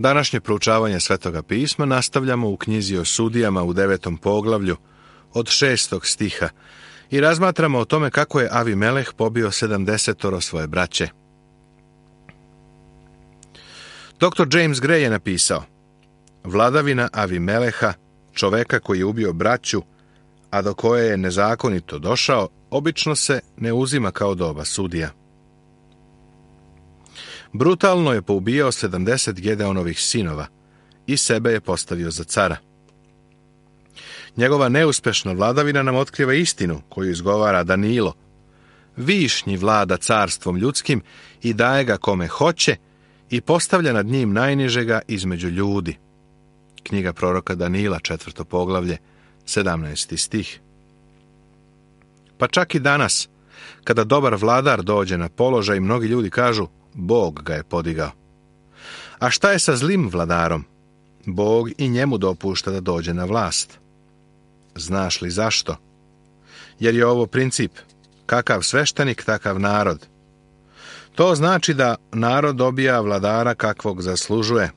Današnje proučavanje Svetoga pisma nastavljamo u knjizi o sudijama u 9. poglavlju od 6. stiha i razmatramo o tome kako je Avimeleh pobio 70 svoje braće. Dr. James Gray je napisao: vladavina Avimeleha, čoveka koji je ubio braću, a do koje je nezakonito došao, obično se ne uzima kao doba sudija. Brutalno je poubijao 70 Gedeonovih sinova i sebe je postavio za cara. Njegova neuspešna vladavina nam otkriva istinu koju izgovara Danilo. Višnji vlada carstvom ljudskim i daje ga kome hoće i postavlja nad njim najnižega između ljudi. Knjiga proroka Danila, 4. poglavlje, 17. stih. Pa čak i danas, kada dobar vladar dođe na položaj, mnogi ljudi kažu: Bog ga je podigao. A šta je sa zlim vladarom? Bog i njemu dopušta da dođe na vlast. Znaš li zašto? Jer je ovo princip: kakav sveštenik, takav narod. To znači da narod dobija vladara kakvog zaslužuje.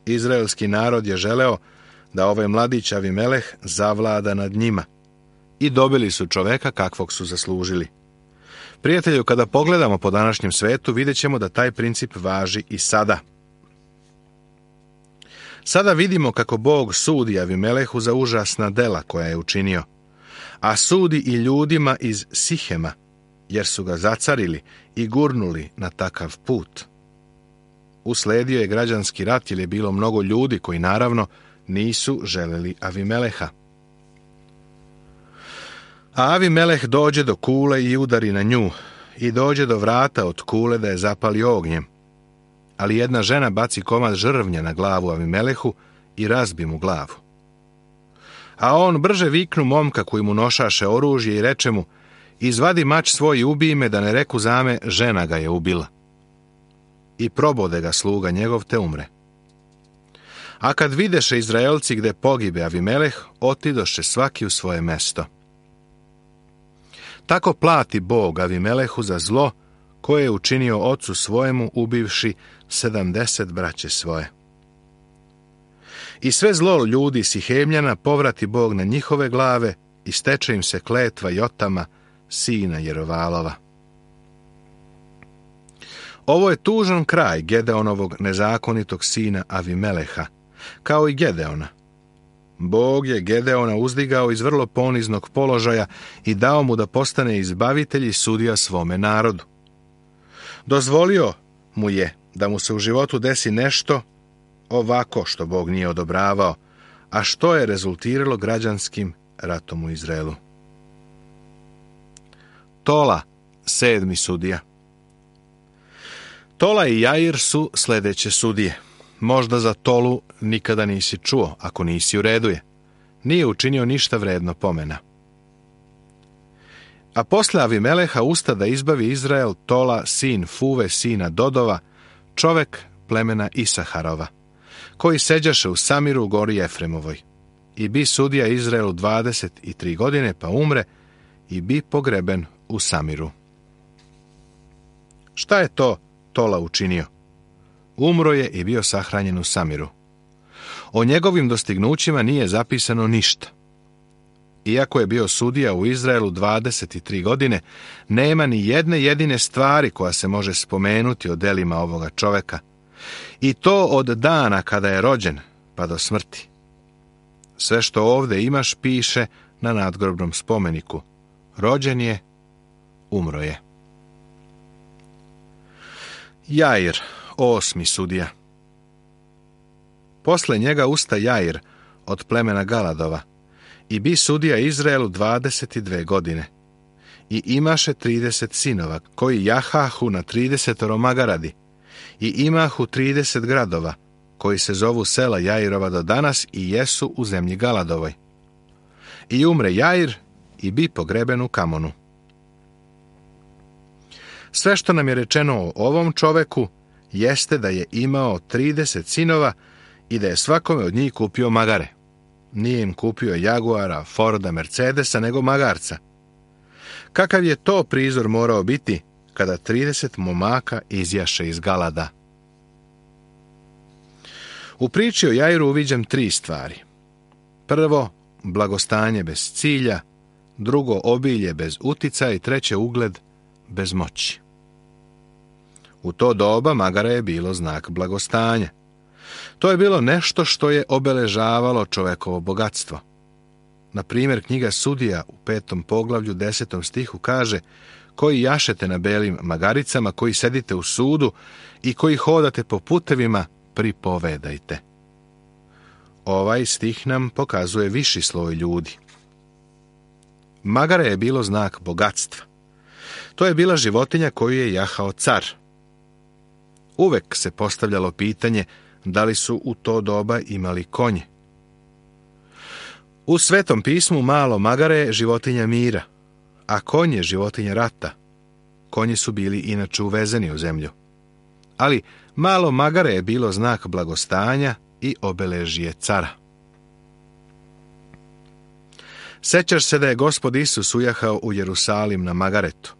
Izraelski narod je želeo da ovaj mladić Avimeleh zavlada nad njima i dobili su čoveka kakvog su zaslužili. Prijatelju, kada pogledamo po današnjem svetu, vidjet ćemo da taj princip važi i sada. Sada vidimo kako Bog sudi Avimelehu za užasna dela koja je učinio, a sudi i ljudima iz Sihema, jer su ga zacarili i gurnuli na takav put. Usledio je građanski rat jer je bilo mnogo ljudi koji naravno nisu želeli Avimeleha. A Avimeleh dođe do kule i udari na nju, i dođe do vrata od kule da je zapali ognjem. Ali jedna žena baci komad žrvnja na glavu Avimelehu i razbi mu glavu. A on brže viknu momka koji mu nošaše oružje i reče mu: izvadi mač svoj i ubij me, da ne reku zame, žena ga je ubila. I probode ga sluga njegov te umre. A kad videše Izraelci gde pogibe Avimeleh, otidoše svaki u svoje mesto. Tako plati Bog Avimelehu za zlo koje je učinio ocu svojemu, ubivši 70 braće svoje. I sve zlo ljudi Sihemljana povrati Bog na njihove glave i steče im se kletva Jotama, sina Jerovalova. Ovo je tužan kraj Gedeonovog nezakonitog sina Avimeleha, kao i Gedeona. Bog je Gedeona uzdigao iz vrlo poniznog položaja i dao mu da postane izbavitelj i sudija svome narodu. Dozvolio mu je da mu se u životu desi nešto ovako što Bog nije odobravao, a što je rezultiralo građanskim ratom u Izraelu. Tola, 7. sudija. Tola i Jair su sledeće sudije. Možda za Tolu nikada nisi čuo, ako nisi, u redu je. Nije učinio ništa vredno pomena. A posle Avimeleha usta da izbavi Izrael Tola, sin Fuve, sina Dodova, čovek plemena Isaharova, koji seđaše u Samiru u gori Efremovoj. I bi sudija Izraelu 23 godine, pa umre i bi pogreben u Samiru. Šta je to Tola učinio? Umro je i bio sahranjen u Samiru. O njegovim dostignućima nije zapisano ništa. Iako je bio sudija u Izraelu 23 godine, nema ni jedne jedine stvari koja se može spomenuti o delima ovoga čoveka. I to od dana kada je rođen pa do smrti. Sve što ovde imaš piše na nadgrobnom spomeniku: rođen je, umro je. Jair, 8. sudija. Posle njega usta Jair od plemena Galadova i bi sudija Izraelu 22 godine. I imaše 30 sinova, koji jahahu na 30 magaradi, i imahu 30 gradova, koji se zovu sela Jairova do danas i jesu u zemlji Galadovoj. I umre Jair i bi pogreben u Kamonu. Sve što nam je rečeno o ovom čoveku jeste da je imao 30 sinova i da je svakome od njih kupio magare. Nije im kupio Jaguara, Forda, Mercedesa, nego magarca. Kakav je to prizor morao biti kada 30 momaka izjaše iz Galada? U priči o Jairu uviđam 3 stvari. Prvo, blagostanje bez cilja, drugo, obilje bez uticaja i treće, ugled bez moći. U to doba magare je bilo znak blagostanja. To je bilo nešto što je obeležavalo čovekovo bogatstvo. Na primjer, knjiga Sudija u 5. poglavlju 10. stihu kaže: koji jašete na belim magaricama, koji sedite u sudu i koji hodate po putevima, pripovedajte. Ovaj stih nam pokazuje viši sloj ljudi. Magare je bilo znak bogatstva. To je bila životinja koju je jahao car. Uvek se postavljalo pitanje da li su u to doba imali konje. U Svetom pismu malo magare je životinja mira, a konj je životinja rata. Konji su bili inače uvezeni u zemlju. Ali malo magare je bilo znak blagostanja i obeležje cara. Sećaš se da je Gospod Isus ujahao u Jerusalim na magaretu.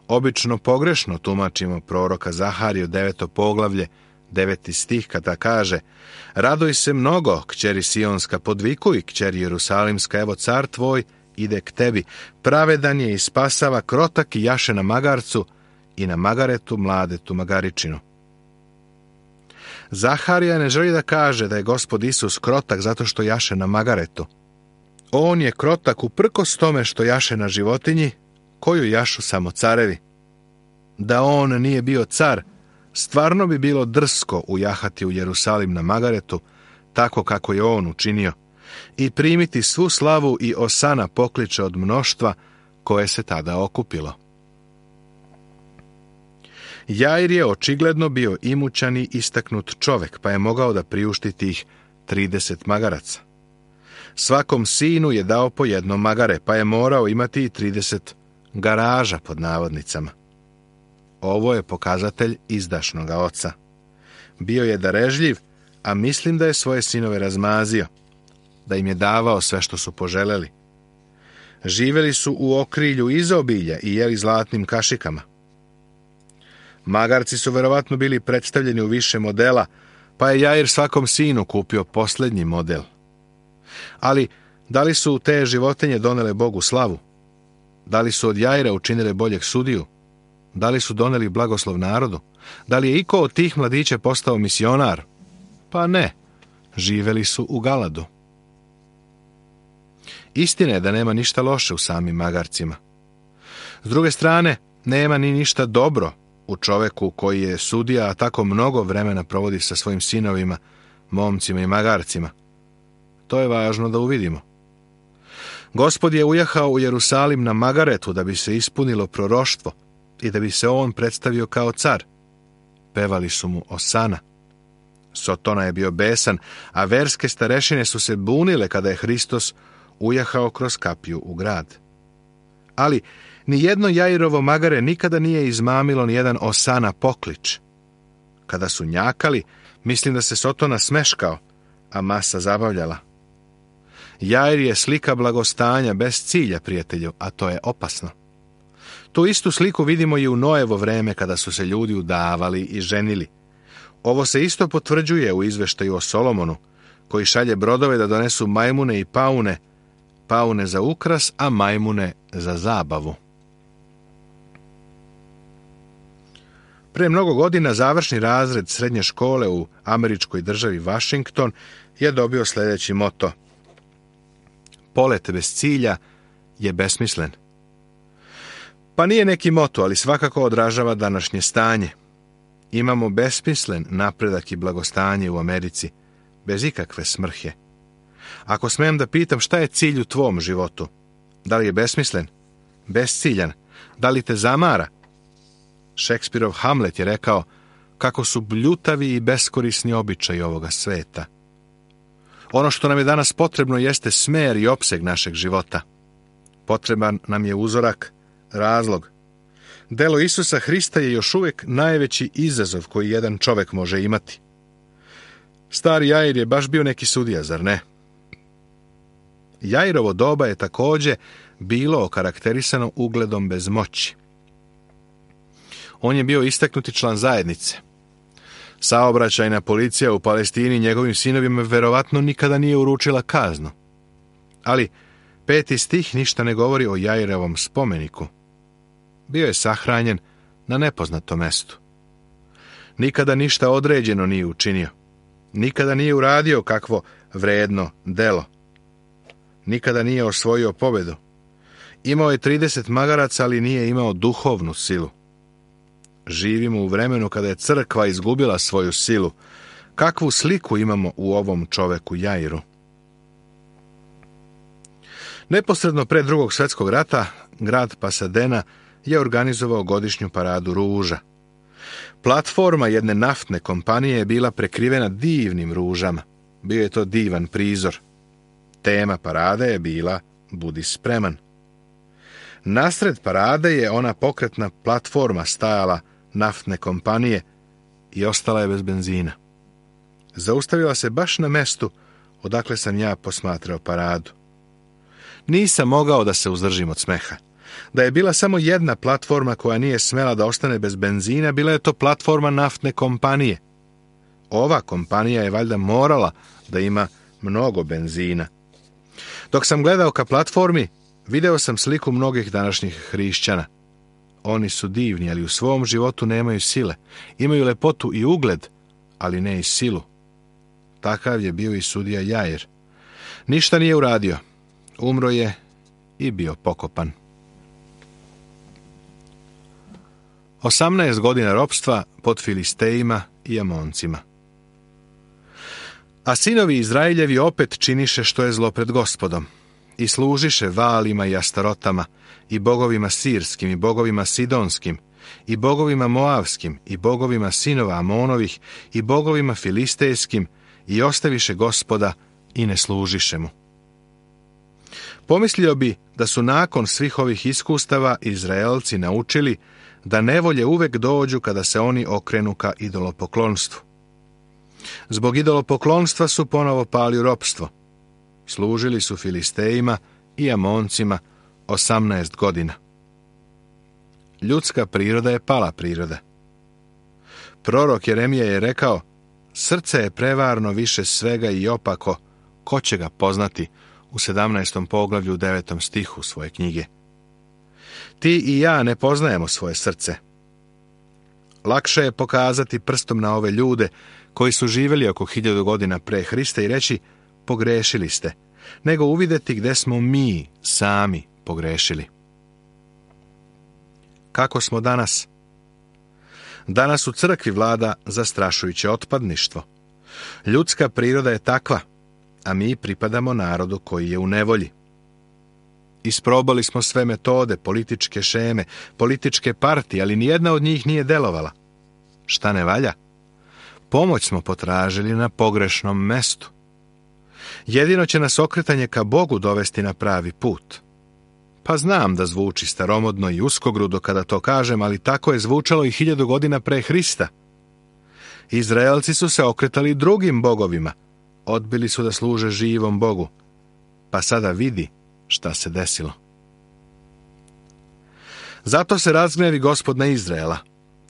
Obično pogrešno tumačimo proroka Zahariju 9. poglavlje 9. stih kada kaže: raduj se mnogo, kćeri Sionska, podvikuj, kćeri Jerusalimska, evo car tvoj ide k tebi, pravedan je i spasava, krotak i jaše na magarcu i na magaretu mladetu magaričinu. Zaharija ne želi da kaže da je Gospod Isus krotak zato što jaše na magaretu. On je krotak uprkos tome što jaše na životinji koju jašu samo carevi. Da on nije bio car, stvarno bi bilo drsko ujahati u Jerusalim na magaretu, tako kako je on učinio, i primiti svu slavu i osana pokliče od mnoštva koje se tada okupilo. Jair je očigledno bio imućan i istaknut čovek, pa je mogao da priušti tih 30 magaraca. Svakom sinu je dao po jedno magare, pa je morao imati i 30 garaža pod navodnicama. Ovo je pokazatelj izdašnoga oca. Bio je darežljiv, a mislim da je svoje sinove razmazio, da im je davao sve što su poželeli. Živeli su u okrilju izobilja i jeli zlatnim kašikama. Magarci su verovatno bili predstavljeni u više modela, pa je Jair svakom sinu kupio posljednji model. Ali, da li su te životinje donele Bogu slavu? Da li su od Jaira učinile boljeg sudiju? Da li su doneli blagoslov narodu? Da li je iko od tih mladića postao misionar? Pa ne, živeli su u Galadu. Istina je da nema ništa loše u samim magarcima. S druge strane, nema ni ništa dobro u čoveku koji je sudija, a tako mnogo vremena provodi sa svojim sinovima, momcima i magarcima. To je važno da uvidimo. Gospod je ujahao u Jerusalim na magaretu da bi se ispunilo proroštvo i da bi se on predstavio kao car. Pevali su mu osana. Sotona je bio besan, a verske starešine su se bunile kada je Hristos ujahao kroz kapiju u grad. Ali nijedno Jairovo magare nikada nije izmamilo nijedan osana poklič. Kada su njakali, mislim da se Sotona smeškao, a masa zabavljala. Jair je slika blagostanja bez cilja, prijatelju, a to je opasno. Tu istu sliku vidimo i u Noevo vreme kada su se ljudi udavali i ženili. Ovo se isto potvrđuje u izveštaju o Solomonu, koji šalje brodove da donesu majmune i paune, paune za ukras, a majmune za zabavu. Pre mnogo godina završni razred srednje škole u američkoj državi Washington je dobio sljedeći moto: polet bez cilja je besmislen. Pa nije neki moto, ali svakako odražava današnje stanje. Imamo besmislen napredak i blagostanje u Americi, bez ikakve smrhe. Ako smem da pitam, šta je cilj u tvom životu? Da li je besmislen? Besciljan? Da li te zamara? Šekspirov Hamlet je rekao kako su bljutavi i beskorisni običaji ovoga sveta. Ono što nam je danas potrebno jeste smer i opseg našeg života. Potreban nam je uzorak, razlog. Delo Isusa Hrista je još uvijek najveći izazov koji jedan čovjek može imati. Stari Jair je baš bio neki sudija, zar ne? Jairovo doba je također bilo okarakterisano ugledom bez moći. On je bio istaknuti član zajednice. Saobraćajna policija u Palestini njegovim sinovima verovatno nikada nije uručila kaznu. Ali 5. stih ništa ne govori o Jairovom spomeniku. Bio je sahranjen na nepoznatom mestu. Nikada ništa određeno nije učinio. Nikada nije uradio kakvo vredno delo. Nikada nije osvojio pobedu. Imao je 30 magaraca, ali nije imao duhovnu silu. Živimo u vremenu kada je crkva izgubila svoju silu. Kakvu sliku imamo u ovom čoveku Jairu? Neposredno pre Drugog svjetskog rata, grad Pasadena je organizovao godišnju paradu ruža. Platforma jedne naftne kompanije je bila prekrivena divnim ružama. Bio je to divan prizor. Tema parade je bila Budi spreman. Nasred parade je ona pokretna platforma stajala naftne kompanije i ostala je bez benzina. Zaustavila se baš na mestu odakle sam ja posmatrao paradu. Nisam mogao da se uzdržim od smeha. Da je bila samo jedna platforma koja nije smela da ostane bez benzina, bila je to platforma naftne kompanije. Ova kompanija je valjda morala da ima mnogo benzina. Dok sam gledao ka platformi, video sam sliku mnogih današnjih hrišćana. Oni su divni, ali u svom životu nemaju sile. Imaju lepotu i ugled, ali ne i silu. Takav je bio i sudija Jair. Ništa nije uradio. Umro je i bio pokopan. 18 godina ropstva pod Filistejima i Amoncima. A sinovi Izraeljevi opet činiše što je zlo pred Gospodom i služiše Valima i Astarotama i bogovima sirskim i bogovima sidonskim i bogovima moavskim i bogovima sinova Amonovih i bogovima filistejskim i ostaviše Gospoda i ne služiše mu. Pomislio bi da su nakon svih ovih iskustava Izraelci naučili da nevolje uvek dođu kada se oni okrenu ka idolopoklonstvu. Zbog idolopoklonstva su ponovo pali u ropstvo. Služili su Filistejima i Amoncima 18 godina. Ljudska priroda je pala priroda. Prorok Jeremija je rekao: srce je prevarno više svega i opako, ko će ga poznati, u 17. poglavlju 9. stihu svoje knjige. Ti i ja ne poznajemo svoje srce. Lakše je pokazati prstom na ove ljude koji su živjeli oko 1000 godina pre Hrista i reći: pogrešili ste, nego uvidjeti gde smo mi sami pogrešili. Kako smo danas? Danas u crkvi vlada zastrašujuće otpadništvo. Ljudska priroda je takva, a mi pripadamo narodu koji je u nevolji. Isprobali smo sve metode, političke šeme, političke partije, ali nijedna od njih nije delovala. Šta ne valja? Pomoć smo potražili na pogrešnom mestu. Jedino će nas okretanje ka Bogu dovesti na pravi put. Pa znam da zvuči staromodno i uskogrudo kada to kažem, ali tako je zvučalo i 1000 godina pre Hrista. Izraelci su se okretali drugim bogovima, odbili su da služe živom Bogu. Pa sada vidi šta se desilo. Zato se razgnevi Gospod na Izraela,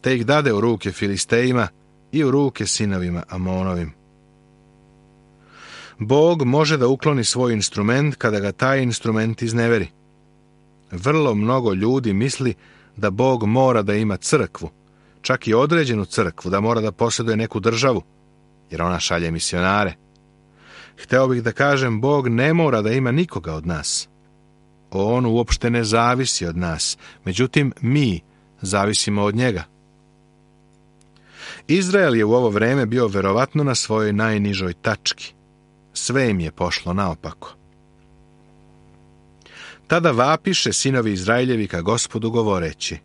te ih dade u ruke Filistejima i u ruke sinovima Amonovim. Bog može da ukloni svoj instrument kada ga taj instrument izneveri. Vrlo mnogo ljudi misli da Bog mora da ima crkvu, čak i određenu crkvu, da mora da posjeduje neku državu, jer ona šalje misionare. Hteo bih da kažem, Bog ne mora da ima nikoga od nas. On uopšte ne zavisi od nas, međutim mi zavisimo od njega. Izrael je u ovo vreme bio verovatno na svojoj najnižoj tački. Sve im je pošlo naopako. Tada vapiše sinovi Izraeljevi ka Gospodu govoreći: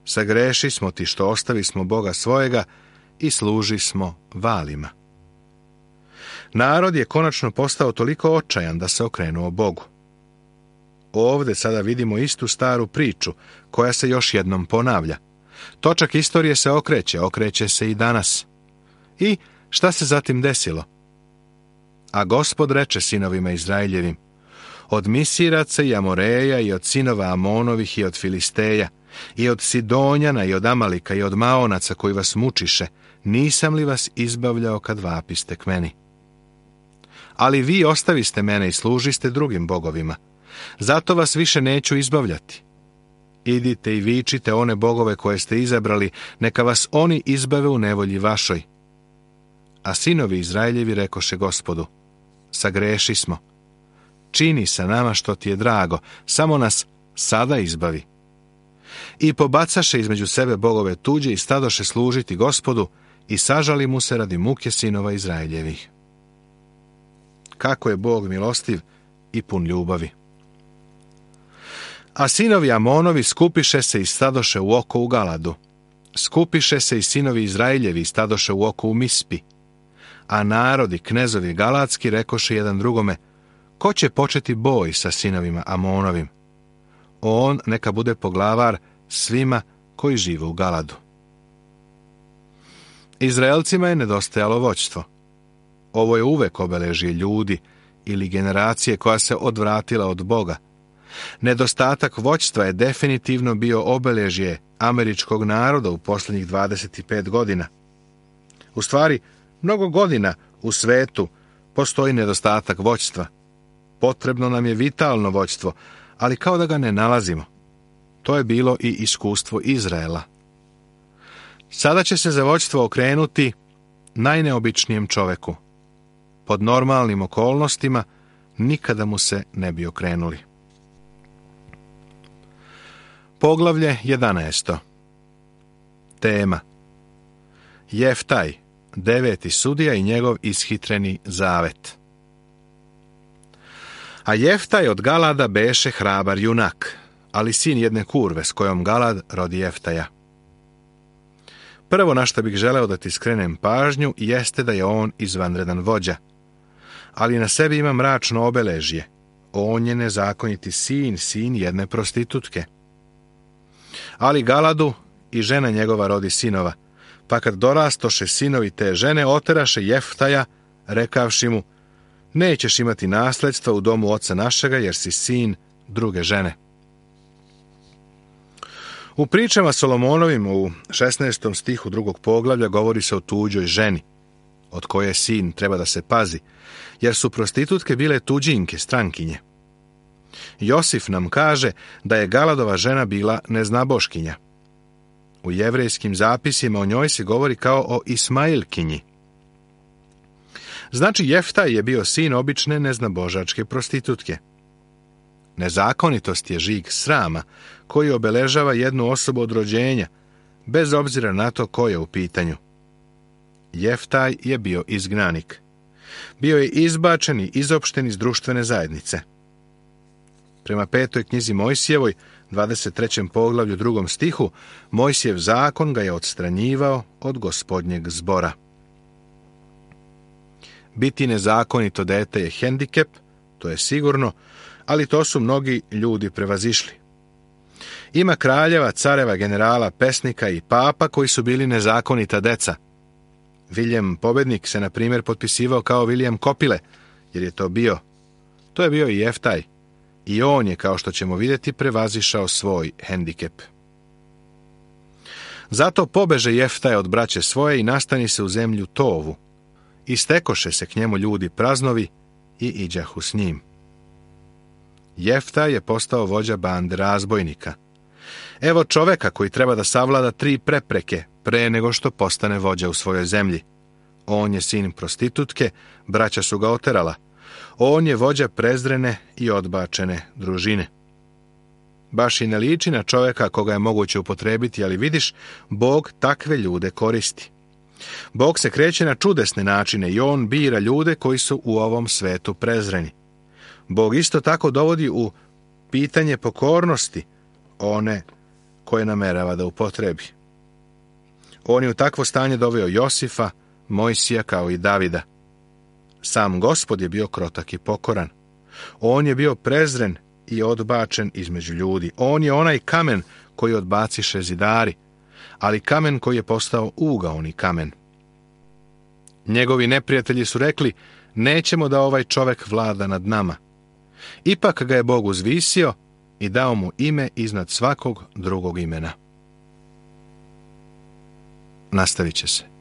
sagreši smo ti što ostavi smo Boga svojega i služi smo Valima. Narod je konačno postao toliko očajan da se okrenuo Bogu. Ovde sada vidimo istu staru priču koja se još jednom ponavlja. Točak istorije se okreće se i danas. I šta se zatim desilo? A Gospod reče sinovima Izraeljevim: od Misiraca i Amoreja i od sinova Amonovih i od Filisteja I od Sidonjana i od Amalika i od Maonaca koji vas mučiše, nisam li vas izbavljao kad vapiste k meni? Ali vi ostaviste mene i služiste drugim bogovima. Zato vas više neću izbavljati. Idite i vičite one bogove koje ste izabrali, neka vas oni izbave u nevolji vašoj. A sinovi Izraeljevi rekoše Gospodu, sagreši smo. Čini sa nama što ti je drago, samo nas sada izbavi. I pobacaše između sebe bogove tuđe i stadoše služiti Gospodu i sažali mu se radi muke sinova Izraeljevih. Kako je Bog milostiv i pun ljubavi. A sinovi Amonovi skupiše se i stadoše u oko u Galadu. Skupiše se i sinovi Izraeljevi i stadoše u oko u Mispi. A narodi, knezovi galatski, rekoše jedan drugome, ko će početi boj sa sinovima Amonovim? On neka bude poglavar svima koji žive u Galadu. Izraelcima je nedostajalo vođstvo. Ovo je uvek obeležje ljudi ili generacije koja se odvratila od Boga. Nedostatak vođstva je definitivno bio obeležje američkog naroda u posljednjih 25 godina. U stvari, mnogo godina u svetu postoji nedostatak vođstva. Potrebno nam je vitalno vođstvo, ali kao da ga ne nalazimo. To je bilo i iskustvo Izraela. Sada će se za vođstvo okrenuti najneobičnijem čoveku. Pod normalnim okolnostima nikada mu se ne bi okrenuli. Poglavlje 11. Tema: Jeftaj, 9. sudija i njegov ishitreni zavet. A Jeftaj od Galada beše hrabar junak, ali sin jedne kurve s kojom Galad rodi Jeftaja. Prvo na što bih želeo da ti skrenem pažnju jeste da je on izvanredan vođa, ali na sebi ima mračno obeležje. On je nezakoniti sin jedne prostitutke. Ali Galadu i žena njegova rodi sinova, pa kad dorastoše sinovi te žene, oteraše Jeftaja, rekavši mu, nećeš imati nasledstva u domu oca našega, jer si sin druge žene. U pričama Solomonovim u 16. stihu 2. poglavlja govori se o tuđoj ženi, od koje sin treba da se pazi, jer su prostitutke bile tuđinke, strankinje. Josif nam kaže da je Galadova žena bila neznaboškinja. U jevrejskim zapisima o njoj se govori kao o Ismailkinji. Znači, Jeftaj je bio sin obične neznabožačke prostitutke. Nezakonitost je žig srama koji obeležava jednu osobu od rođenja, bez obzira na to ko je u pitanju. Jeftaj je bio izgnanik. Bio je izbačen i izopšten iz društvene zajednice. Prema 5. knjizi Mojsijevoj, 23. poglavlju 2. stihu, Mojsijev zakon ga je odstranjivao od Gospodnjeg zbora. Biti nezakonito dete je hendikep, to je sigurno, ali to su mnogi ljudi prevazišli. Ima kraljeva, careva, generala, pesnika i papa koji su bili nezakonita deca. Viljem Pobednik se, na primjer, potpisivao kao Viljem Kopile, jer je to bio. To je bio i Jeftaj. I on je, kao što ćemo vidjeti, prevazišao svoj hendikep. Zato pobeže Jeftaj od braće svoje i nastani se u zemlju Tovu. I stekoše se k njemu ljudi praznovi i iđahu s njim. Jeftaj je postao vođa bande razbojnika. Evo čoveka koji treba da savlada 3 prepreke pre nego što postane vođa u svojoj zemlji. On je sin prostitutke, braća su ga oterala. On je vođa prezrene i odbačene družine. Baš i ne liči na čoveka koga je moguće upotrebiti, ali vidiš, Bog takve ljude koristi. Bog se kreće na čudesne načine i on bira ljude koji su u ovom svetu prezreni. Bog isto tako dovodi u pitanje pokornosti one koje namerava da upotrebi. On je u takvo stanje doveo Josifa, Mojsija kao i Davida. Sam Gospod je bio krotak i pokoran. On je bio prezren i odbačen između ljudi. On je onaj kamen koji odbaciše zidari, ali kamen koji je postao ugaoni kamen. Njegovi neprijatelji su rekli, nećemo da ovaj čovek vlada nad nama. Ipak ga je Bog uzvisio i dao mu ime iznad svakog drugog imena. Nastavit će se.